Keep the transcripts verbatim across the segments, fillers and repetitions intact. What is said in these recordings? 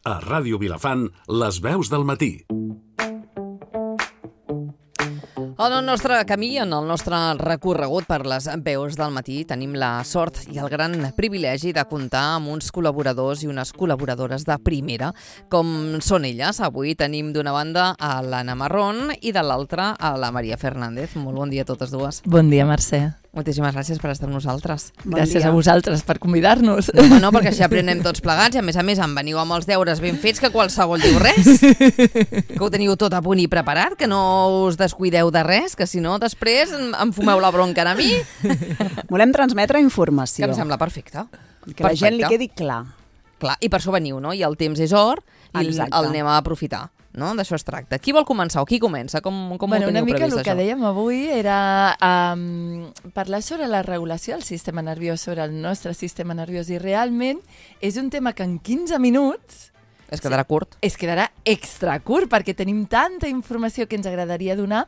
A Ràdio Vilafant, les veus del matí. En el nostre camí, en el nostre recorregut per les veus del matí, tenim la sort i el gran privilegi de comptar amb uns col·laboradors i unes col·laboradores de primera, com són elles. Avui tenim d'una banda a l'Anna Marrón i de l'altra a la Maria Fernández. Molt bon dia a totes dues. Bon dia, Mercè. Moltíssimes gràcies per estar amb nosaltres. Bon gràcies dia a vosaltres per convidar-nos. No, no, perquè així aprenem tots plegats i a més a més em veniu amb els deures ben fets que qualsevol diu res, que ho teniu tot a punt i preparat, que no us descuideu de res, que si no després em fumeu la bronca a mi. Volem transmetre informació. Que em sembla perfecte. Que la gent li quedi clar. Clar, i per això veniu, no? I el temps és or i Exacte. El anem a aprofitar. No? D'això es tracta. Qui vol començar o qui comença? Com, com bueno, ho teniu una mica previst, el que això? dèiem avui era um, parlar sobre la regulació del sistema nerviós, sobre el nostre sistema nerviós, i realment és un tema que en quinze minuts es quedarà curt. Es quedarà extra curt, perquè tenim tanta informació que ens agradaria donar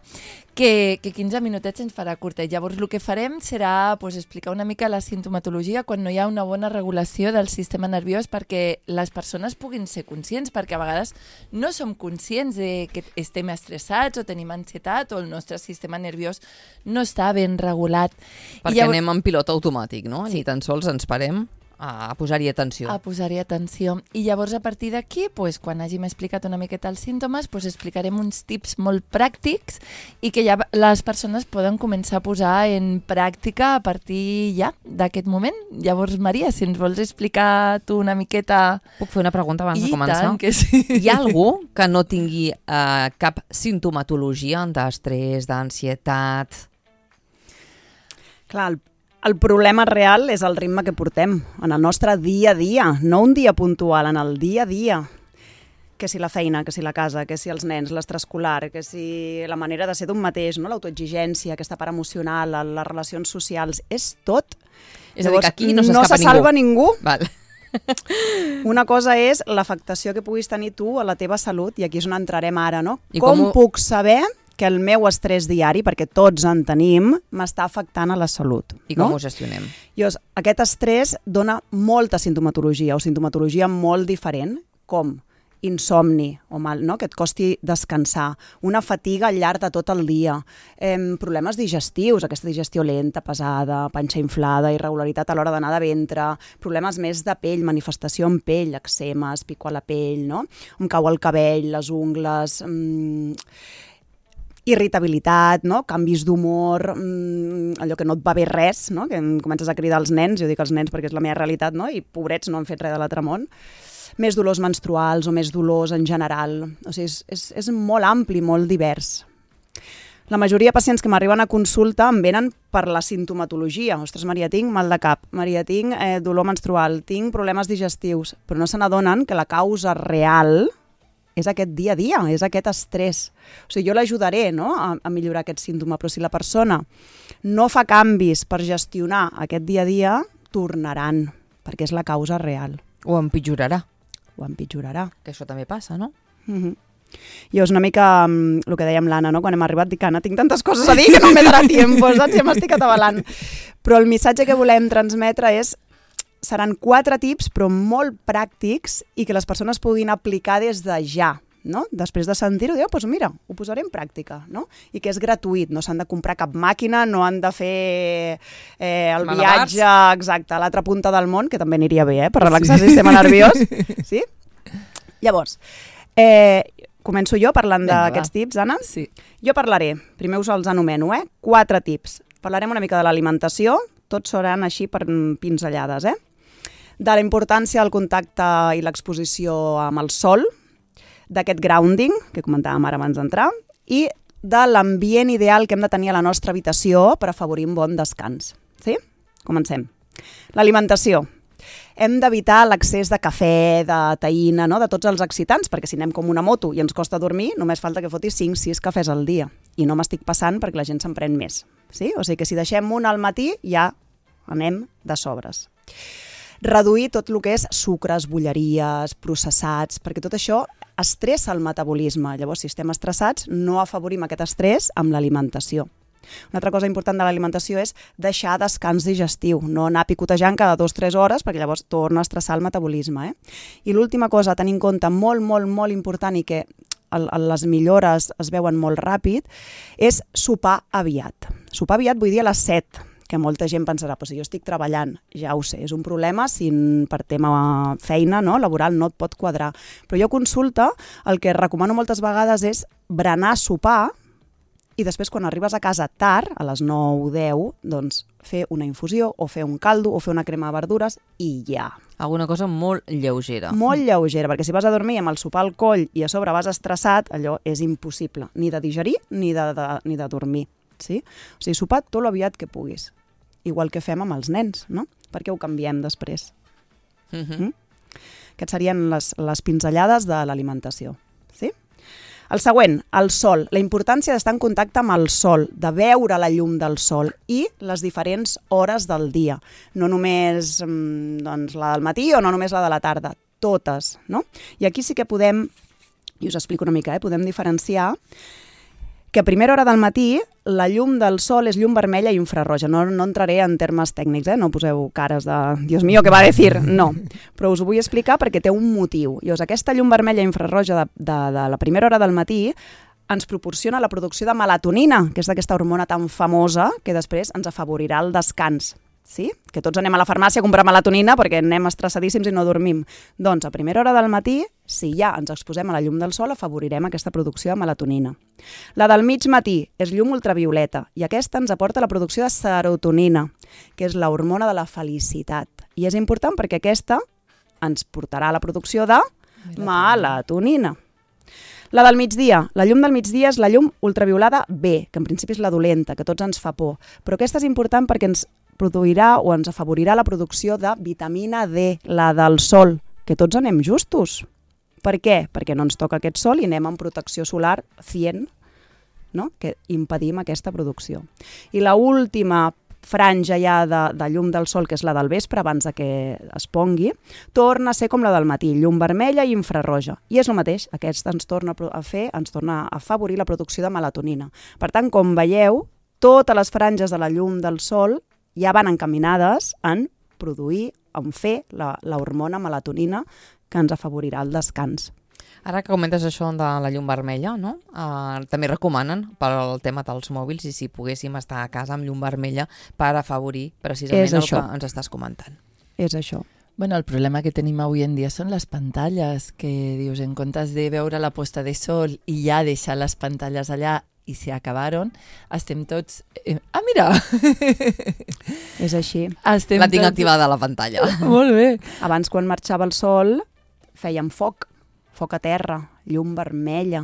que, que quinze minutets ens farà curta. I llavors el que farem serà pues, explicar una mica la sintomatologia quan no hi ha una bona regulació del sistema nerviós perquè les persones puguin ser conscients, perquè a vegades no som conscients de que estem estressats o tenim ansietat o el nostre sistema nerviós no està ben regulat. Perquè I llavors... anem en pilot automàtic, no? Sí. Ni tan sols ens parem a posar-hi atenció. A posar-hi atenció. I llavors, a partir d'aquí, pues, quan hàgim explicat una miqueta els símptomes, pues, explicarem uns tips molt pràctics i que ja les persones poden començar a posar en pràctica a partir ja d'aquest moment. Llavors, Maria, si ens vols explicar tu una miqueta... Puc fer una pregunta abans I de començar? tant que sí. Hi ha algú que no tingui eh, cap sintomatologia d'estrès, d'ansietat? Clar, el El problema real és el ritme que portem en el nostre dia a dia, no un dia puntual, en el dia a dia. Que si la feina, que si la casa, que si els nens, l'extraescolar, que si la manera de ser d'un mateix, no? L'autoexigència, aquesta part emocional, les relacions socials, és tot. És a dir, que aquí no no s'escapa se salva ningú. Val. Una cosa és l'afectació que puguis tenir tu a la teva salut, i aquí és on entrarem ara, no? I com com ho... puc saber que el meu estrès diari, perquè tots en tenim, m'està afectant a la salut. I com no? ho gestionem? Llavors, aquest estrès dona molta sintomatologia, o sintomatologia molt diferent, com insomni, o mal, no? Que et costi descansar, una fatiga al llarg de tot el dia, eh, problemes digestius, aquesta digestió lenta, pesada, panxa inflada, irregularitat a l'hora d'anar de ventre, problemes més de pell, manifestació en pell, eczemes, pico a la pell, no? Em cau el cabell, les ungles... Mmm, irritabilitat, no? Canvis d'humor, mmm, allò que no et va bé res, no? Que comences a cridar als nens, jo dic als nens perquè és la meva realitat, no? I pobrets no han fet res de l'altre món. Més dolors menstruals o més dolors en general. O sigui, és, és, és molt ampli, molt divers. La majoria de pacients que m'arriben a consulta em venen per la sintomatologia. Ostres, Maria, tinc mal de cap. Maria, tinc eh, dolor menstrual. Tinc problemes digestius. Però no se n'adonen que la causa real és aquest dia a dia, és aquest estrès. O sigui, jo l'ajudaré, no?, a, a millorar aquest símptoma, però si la persona no fa canvis per gestionar aquest dia a dia, tornaran, perquè és la causa real. O empitjorarà. O empitjorarà. Que això també passa, no? Mm-hmm. Llavors, una mica um, el que dèiem l'Anna, no?, quan hem arribat, dic, Anna, tinc tantes coses a dir que no m'he donat temps, saps? Ja m'estic atabalant. Però el missatge que volem transmetre és seran quatre tips, però molt pràctics i que les persones puguin aplicar des de ja, no? Després de sentir-ho, diu, doncs mira, ho posaré en pràctica, no? I que és gratuït, no s'han de comprar cap màquina, no han de fer eh, el Malabars. viatge exacte a l'altra punta del món, que també aniria bé, eh? Per relaxar el sistema nerviós. Sí? Llavors, eh, començo jo parlant d'aquests tips, Anna? Sí. Jo parlaré, primer us els anomeno, eh? Quatre tips. Parlarem una mica de l'alimentació, tots seran així per pinzellades, eh? De la importància del contacte i l'exposició amb el sol, d'aquest grounding, que comentàvem ara abans d'entrar, i de l'ambient ideal que hem de tenir a la nostra habitació per afavorir un bon descans. Sí? Comencem. L'alimentació. Hem d'evitar l'accés de cafè, de taïna, no? De tots els excitants, perquè si anem com una moto i ens costa dormir, només falta que fotis cinc sis cafès al dia. I no m'estic passant perquè la gent se'n pren més. Sí? O sigui que si deixem un al matí, ja anem de sobres. Reduir tot el que és sucres, bolleries, processats, perquè tot això estressa el metabolisme. Llavors, si estem estressats, no afavorim aquest estrès amb l'alimentació. Una altra cosa important de l'alimentació és deixar descans digestiu, no anar picotejant cada dues o tres hores perquè llavors torna a estressar el metabolisme. Eh? I l'última cosa a tenir en compte, molt, molt, molt important i que el, les millores es veuen molt ràpid, és sopar aviat. Sopar aviat vull dir a les set, que molta gent pensarà, però si jo estic treballant, ja ho sé, és un problema si per tema feina, no, laboral, no et pot quadrar. Però jo a consulta, el que recomano moltes vegades és berenar, sopar, i després quan arribes a casa tard, a les nou o deu, doncs fer una infusió, o fer un caldo, o fer una crema de verdures, i ja. Alguna cosa molt lleugera. Molt lleugera, perquè si vas a dormir amb el sopar al coll i a sobre vas estressat, allò és impossible, ni de digerir ni de, de, ni de dormir. Sí? O sigui, sopar tot l'aviat que puguis. Igual que fem amb els nens, no? Perquè ho canviem després. Uh-huh. Mm? Aquestes serien les, les pinzellades de l'alimentació. Sí? El següent, el sol. La importància d'estar en contacte amb el sol, de veure la llum del sol i les diferents hores del dia. No només doncs, la del matí o no només la de la tarda, totes. No? I aquí sí que podem, i us explico una mica, eh? podem diferenciar que a primera hora del matí la llum del sol és llum vermella i infrarroja. No, no entraré en termes tècnics, eh? No poseu cares de Dios mío, què va a dir? No, però us ho vull explicar perquè té un motiu. Llavors, aquesta llum vermella i infrarroja de, de, de la primera hora del matí ens proporciona la producció de melatonina, que és d'aquesta hormona tan famosa que després ens afavorirà el descans. Sí? Que tots anem a la farmàcia a comprar melatonina perquè anem estressadíssims i no dormim. Doncs a primera hora del matí, si ja ens exposem a la llum del sol, afavorirem aquesta producció de melatonina. La del mig matí és llum ultravioleta i aquesta ens aporta la producció de serotonina, que és l'hormona de la felicitat. I és important perquè aquesta ens portarà a la producció de melatonina. La del migdia. La llum del migdia és la llum ultraviolada B, que en principi és la dolenta, que tots ens fa por. Però aquesta és important perquè ens produirà o ens afavorirà la producció de vitamina D, la del sol, que tots anem justos. Per què? Perquè no ens toca aquest sol i anem amb protecció solar cien, no? Que impedim aquesta producció. I la última franja ja de, de llum del sol, que és la del vespre, abans de que es pongui, torna a ser com la del matí, llum vermella i infrarroja. I és el mateix, aquesta ens torna a fer, ens torna a afavorir la producció de melatonina. Per tant, com veieu, totes les franges de la llum del sol ja van encaminades en produir, en fer l'hormona melatonina que ens afavorirà el descans. Ara que comentes això de la llum vermella, no? Uh, també recomanen per al tema dels mòbils i si poguéssim estar a casa amb llum vermella per afavorir precisament el que ens estàs comentant. És això. Bueno, el problema que tenim avui en dia són les pantalles, que dius, en comptes de veure la posta de sol i ja deixar les pantalles allà i se acabaron, estem tots... Eh, ah, mira! És així. Estem la tinc tots... activada a la pantalla. Molt bé. Abans, quan marxava el sol, fèiem foc, foc a terra, llum vermella.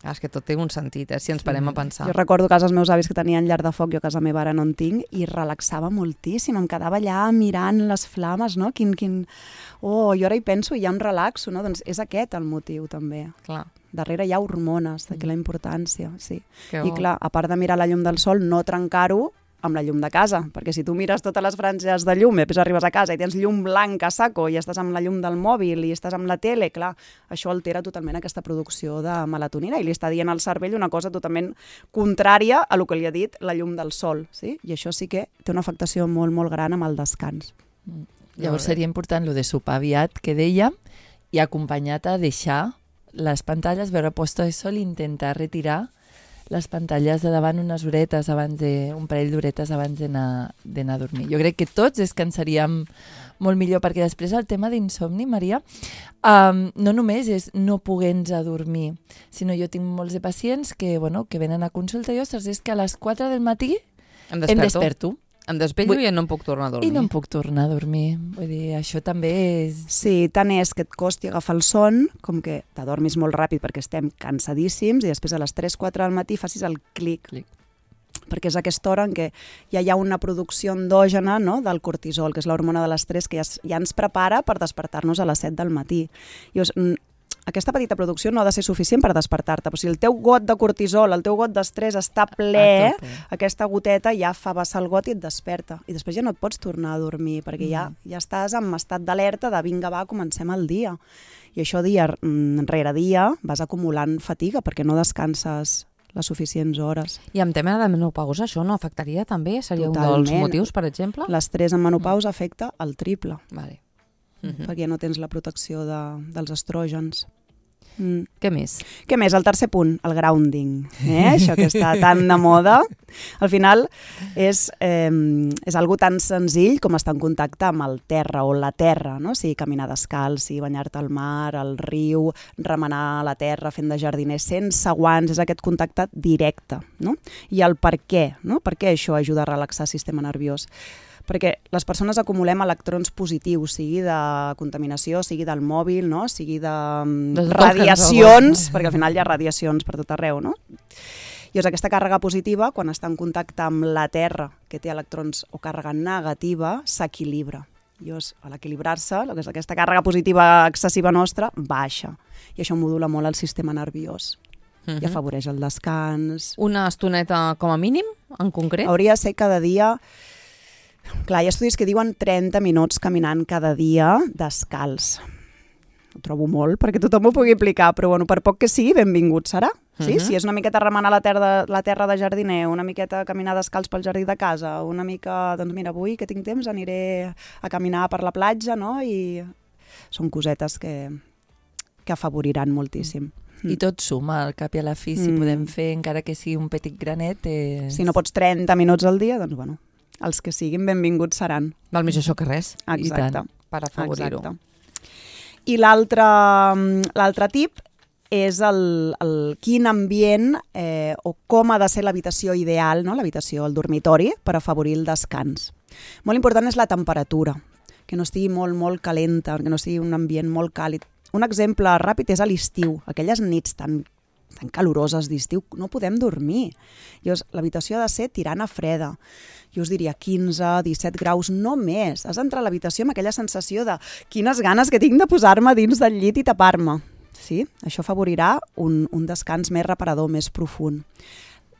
Ah, és que tot té un sentit, eh? Si ens parem a pensar. Jo recordo a casa els meus avis que tenien llar de foc, jo a casa meva ara no en tinc, i relaxava moltíssim, em quedava allà mirant les flames, no? Quin, quin... Oh, jo ara hi penso i ja em relaxo, no? Doncs és aquest el motiu, també. Clar. Darrere hi ha hormones, d'aquí la importància, sí. Que I clar, a part de mirar la llum del sol, no trencar-ho amb la llum de casa, perquè si tu mires totes les franges de llum i després arribes a casa i tens llum blanca a saco i estàs amb la llum del mòbil i estàs amb la tele, clar, això altera totalment aquesta producció de melatonina i li està dient al cervell una cosa totalment contrària a el que li ha dit la llum del sol, sí? I això sí que té una afectació molt, molt gran amb el descans. Mm. Llavors seria important lo de sopar aviat, que deia, i acompanyat a deixar les pantalles, veure posta de sol i intentar retirar les pantalles de davant unes horetes, abans de, un parell d'horetes abans d'anar d'anar a dormir. Jo crec que tots descansaríem molt millor, perquè després el tema d'insomni, Maria, um, no només és no poder-nos a dormir, sinó jo tinc molts de pacients que, bueno, que venen a consulta i, ostres, és que a les quatre del matí em desperto. Em desperto. Em desvello i no em puc tornar a dormir. I no em puc tornar a dormir. Vull dir, això també és... Sí, tant és que et costi agafar el son, com que t'adormis molt ràpid perquè estem cansadíssims i després a les tres quatre del matí facis el clic. clic. Perquè és aquesta hora en què ja hi ha una producció endògena, no?, del cortisol, que és l'hormona de l'estrès que ja, ja ens prepara per despertar-nos a les set del matí. I us, aquesta petita producció no ha de ser suficient per despertar-te, però si el teu got de cortisol, el teu got d'estrès està ple, aquesta goteta ja fa vessar el got i et desperta. I després ja no et pots tornar a dormir, perquè mm. ja, ja estàs en estat d'alerta de vinga, va, comencem el dia. I això dia rere dia vas acumulant fatiga perquè no descanses les suficients hores. I amb tema de menopausa això no afectaria també? Seria Totalment. un dels motius, per exemple? L'estrès en menopausa afecta el triple, Vale. uh-huh. perquè no tens la protecció de, dels estrògens. Mm. Què més? Què més? El tercer punt, el grounding. Eh? Això que està tan de moda. Al final és, eh, és algo tan senzill com estar en contacte amb el terra o la terra, no? O sigui, caminar descalç, sigui banyar-te al mar, al riu, remenar la terra fent de jardiner sense guants, és aquest contacte directe. No? I el per què, no? Per què això ajuda a relaxar el sistema nerviós? Perquè les persones acumulem electrons positius, sigui de contaminació, sigui del mòbil, no? Sigui de, de radiacions, perquè al final hi ha radiacions per tot arreu, no? Llavors aquesta càrrega positiva, quan està en contacte amb la Terra, que té electrons o càrrega negativa, s'equilibra. Llavors, a l'equilibrar-se, aquesta càrrega positiva excessiva nostra baixa. I això modula molt el sistema nerviós. Uh-huh. I afavoreix el descans. Una estoneta com a mínim, en concret? Hauria de ser cada dia... Clar, hi ha estudis que diuen trenta minuts caminant cada dia descalç. Ho trobo molt perquè tothom ho pugui aplicar, però bueno, per poc que sigui, benvingut serà. Sí? Uh-huh. Si és una miqueta remenar la terra, la terra de jardiner, una miqueta caminar descalç pel jardí de casa, una mica, doncs mira, avui que tinc temps aniré a caminar per la platja, no? I són cosetes que, que afavoriran moltíssim. I tot suma, al cap i a la fi, si mm. podem fer, encara que sigui un petit granet... És... Si no pots trenta minuts al dia, doncs bueno, els que siguin benvinguts seran. Val més això que res. Exacte. Per afavorir-ho. I l'altre l'altre tip és el, el quin ambient eh, o com ha de ser l'habitació ideal, no? L'habitació, el dormitori, per afavorir el descans. Molt important és la temperatura, que no estigui molt, molt calenta, que no sigui un ambient molt càlid. Un exemple ràpid és a l'estiu, aquelles nits tan, tan caloroses d'estiu, no podem dormir. Llavors, l'habitació ha de ser tirant a freda. Jo us diria quinze, disset graus, no més. Has d'entrar a l'habitació amb aquella sensació de quines ganes que tinc de posar-me dins del llit i tapar-me. Sí? Això afavorirà un, un descans més reparador, més profund.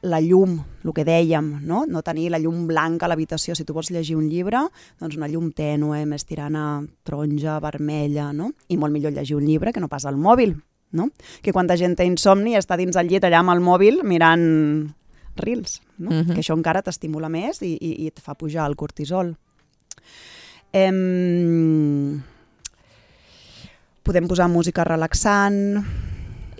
La llum, el que dèiem, no? No tenir la llum blanca a l'habitació. Si tu vols llegir un llibre, doncs una llum tènue, més tirant a taronja, vermella, no? I molt millor llegir un llibre que no pas al mòbil, no? Que quanta gent té insomni i està dins el llit allà amb el mòbil mirant reels, no? Uh-huh. Que això encara t'estimula més i, i, i et fa pujar el cortisol. Em... Podem posar música relaxant.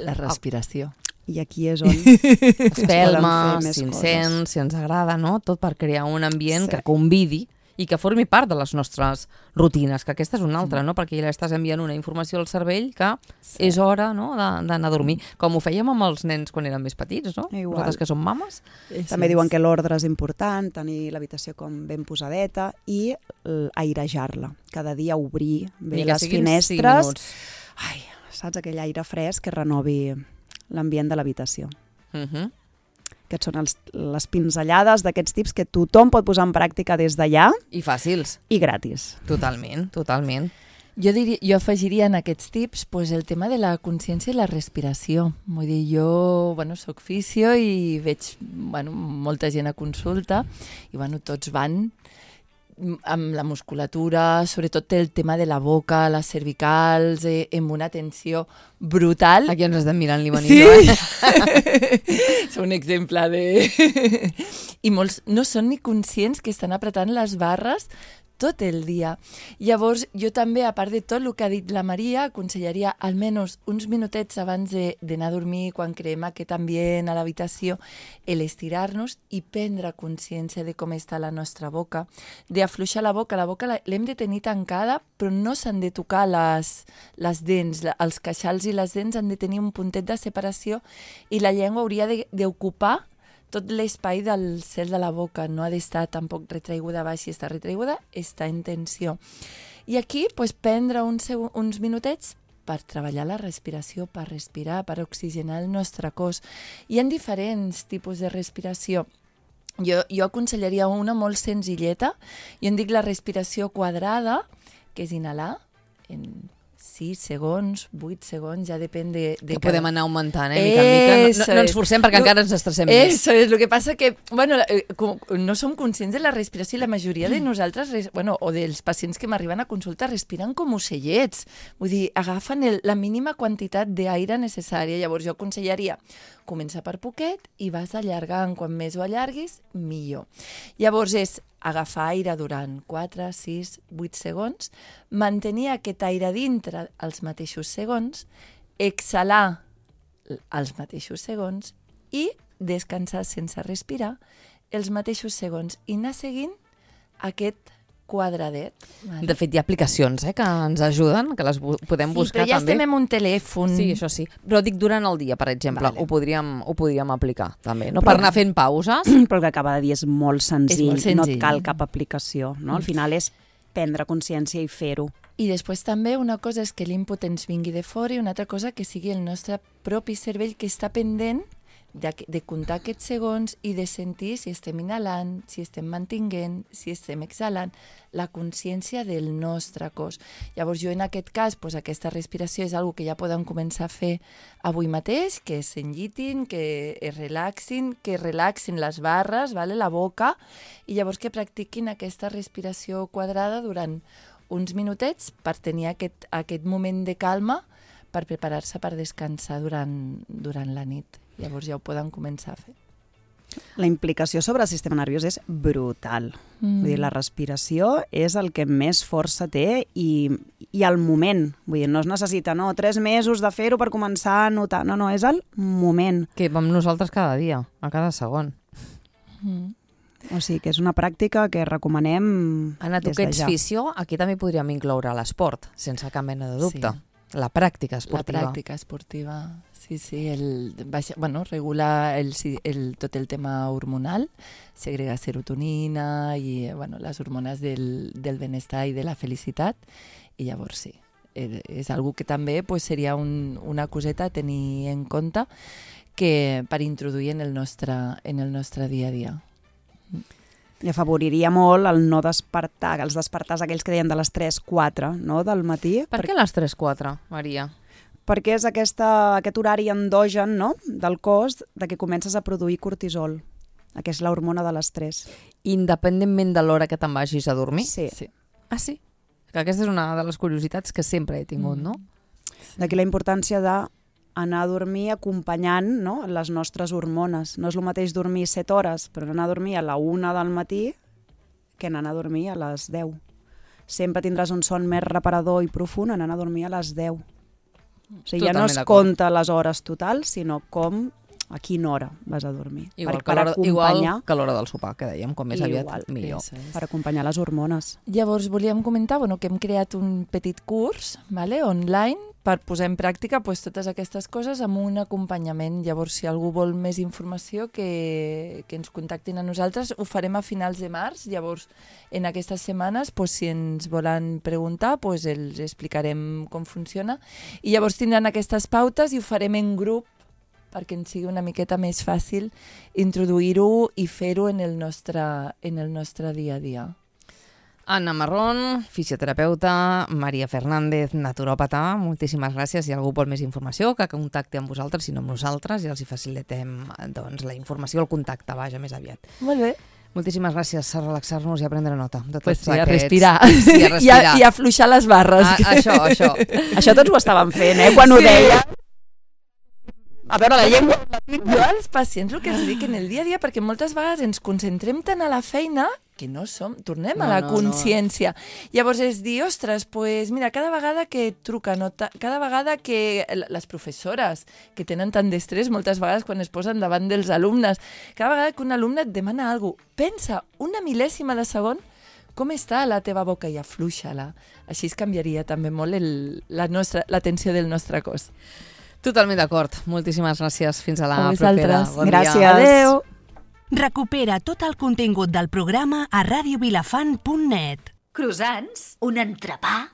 La respiració. I aquí és on espelmes, incens, si ens agrada, no? Tot per crear un ambient sí. que convidi i que formi part de les nostres rutines, que aquesta és una altra, no? Perquè ja estàs enviant una informació al cervell que sí. és hora, no? d'anar a dormir, com ho fèiem amb els nens quan eren més petits, no? Igual. Nosaltres que som mames. Sí, també sí. diuen que l'ordre és important, tenir l'habitació com ben posadeta i airejar-la. Cada dia obrir bé les finestres. Ai, saps? Aquell aire fresc que renovi l'ambient de l'habitació. Uh-huh. Aquests són els, les pinzellades d'aquests tips que tothom pot posar en pràctica des d'allà. I fàcils. I gratis. Totalment, totalment. Jo, diria, jo afegiria en aquests tips pues, el tema de la consciència i la respiració. Vull dir, jo bueno, soc fisio i veig bueno, molta gent a consulta i bueno, tots van amb la musculatura, sobretot el tema de la boca, les cervicals, eh, amb una tensió brutal. Aquí ens estem mirant l'Ivanillo, sí. eh? És un exemple de... I molts no són ni conscients que estan apretant les barres tot el dia. Llavors, jo també, a part de tot el que ha dit la Maria, aconsellaria almenys uns minutets abans d'anar a dormir, quan creem aquest ambient a l'habitació, l'estirar-nos i prendre consciència de com està la nostra boca, d'afluixar la boca. La boca l'hem de tenir tancada, però no s'han de tocar les, les dents. Els queixals i les dents han de tenir un puntet de separació i la llengua hauria d'ocupar tot l'espai del cel de la boca, no ha d'estar tampoc retraiguda baix. Si està retraiguda, està en tensió. I aquí, pues, prendre uns, uns minutets per treballar la respiració, per respirar, per oxigenar el nostre cos. Hi ha diferents tipus de respiració. Jo, jo aconsellaria una molt senzilleta. Jo en dic la respiració quadrada, que és inhalar, en sis segons, vuit segons, ja depèn de... de que cada... podem anar augmentant, eh, mica en mica. No, no, no ens forcem perquè lo, encara ens estressem més. Eso és, el que passa que, bueno, no som conscients de la respiració i la majoria de nosaltres, bueno, o dels pacients que m'arriben a consulta, respiren com ocellets. Vull dir, agafen el, la mínima quantitat d'aire necessària. Llavors jo aconsellaria començar per poquet i vas allargant. Quan més ho allarguis, millor. Llavors és agafar aire durant quatre, sis, vuit segons, mantenir aquest aire dintre els mateixos segons, exhalar els mateixos segons i descansar sense respirar els mateixos segons i anar seguint aquest quadradet. Vale. De fet, hi ha aplicacions eh, que ens ajuden, que les bu podem sí, buscar també. Sí, però ja estem en un telèfon. Sí, això sí. Però dic durant el dia, per exemple, vale. ho, podríem, ho podríem aplicar també, no? Però, per anar fent pauses. Però el que acaba de dir és molt senzill, és molt senzill. no et cal cap aplicació. No? Al final és prendre consciència i fer-ho. I després també una cosa és que l'input ens vingui de fora i una altra cosa que sigui el nostre propi cervell que està pendent de, de comptar aquests segons i de sentir si estem inhalant, si estem mantinguent, si estem exhalant, la consciència del nostre cos. Llavors jo en aquest cas, pues, aquesta respiració és una que ja podem començar a fer avui mateix, que s'enllitin, que es relaxin, que relaxin les barres, vale? La boca, i llavors que practiquin aquesta respiració quadrada durant uns minutets per tenir aquest, aquest moment de calma per preparar-se per descansar durant, durant la nit. Llavors ja ho poden començar a fer. La implicació sobre el sistema nerviós és brutal. Mm. Vull dir, la respiració és el que més força té i, i el moment. Vull dir, no es necessita no, tres mesos de fer-ho per començar a notar. No, no, és el moment. Que vam nosaltres cada dia, a cada segon. Mm. O sigui que és una pràctica que recomanem Anna, tu des que de ets ja. fisio, aquí també podríem incloure l'esport, sense cap mena de dubte. Sí. La pràctica esportiva. La pràctica esportiva, sí, sí. El, baixa, bueno, regular el, el, tot el tema hormonal, segrega serotonina i bueno, les hormones del, del benestar i de la felicitat. I llavors sí, és algo que també pues, seria un, una coseta a tenir en compte que per introduir en el nostre, en el nostre dia a dia. I afavoriria molt el no despertar, els despertars aquells que deien de les tres quatre no, del matí. Per què les tres quatre, Maria? Perquè és aquesta, aquest horari endogen no, del cos de que comences a produir cortisol, que és l'hormona de l'estrès. Independentment de l'hora que te'n vagis a dormir? Sí. sí. Ah, sí? Que aquesta és una de les curiositats que sempre he tingut, Mm. no? D'aquí la importància de anar a dormir acompanyant no, les nostres hormones. No és el mateix dormir set hores, però anar a dormir a la una del matí que anar a dormir a les deu. Sempre tindràs un son més reparador i profund en anar a dormir a les deu. O sigui, ja no es compta les hores totals, sinó com a quina hora vas a dormir. Igual, per, que, per l'hora, acompanyar, igual que l'hora del sopar, que dèiem, com més aviat Igual. millor. Eso és. per acompanyar les hormones. Llavors volíem comentar bueno, que hem creat un petit curs vale, online per posar en pràctica pues, totes aquestes coses amb un acompanyament. Llavors, si algú vol més informació, que, que ens contactin a nosaltres. Ho farem a finals de març. Llavors, en aquestes setmanes, pues, si ens volen preguntar, pues, els explicarem com funciona. I llavors tindran aquestes pautes i ho farem en grup perquè ens sigui una miqueta més fàcil introduir-ho i fer-ho en el nostre, en el nostre dia a dia. Anna Marrón, fisioterapeuta, Maria Fernández, naturòpata, moltíssimes gràcies. Si algú vol més informació, que contacti amb vosaltres, si no amb nosaltres, i els hi facilitem doncs, la informació, el contacte, vaja, més aviat. Molt bé. Moltíssimes gràcies a relaxar-nos i a prendre nota de tots Pues sí, aquests... a respirar. Sí, a respirar. I, a, I a afluixar les barres. A, això, això. Això tots ho estàvem fent, eh? Quan ho Sí. deia. A veure, la llengua... Jo als pacients el que els dic en el dia a dia, perquè moltes vegades ens concentrem tant a la feina que no som, tornem No, a la no, no. consciència. Llavors és dir, ostres, pues mira, cada vegada que truquen, o ta, cada vegada que les professores que tenen tant d'estrès, moltes vegades quan es posen davant dels alumnes, cada vegada que un alumne et demana alguna cosa, pensa una mil·lèsima de segon com està la teva boca i afluixa-la. Així es canviaria també molt el, la nostra, l'atenció del nostre cos. Totalment d'acord. Moltíssimes gràcies. Fins a la A propera. vosaltres. Bon Gràcies. dia. Adéu. Recupera tot el contingut del programa a radiovilafant punt net. Croissants? Un entrepà?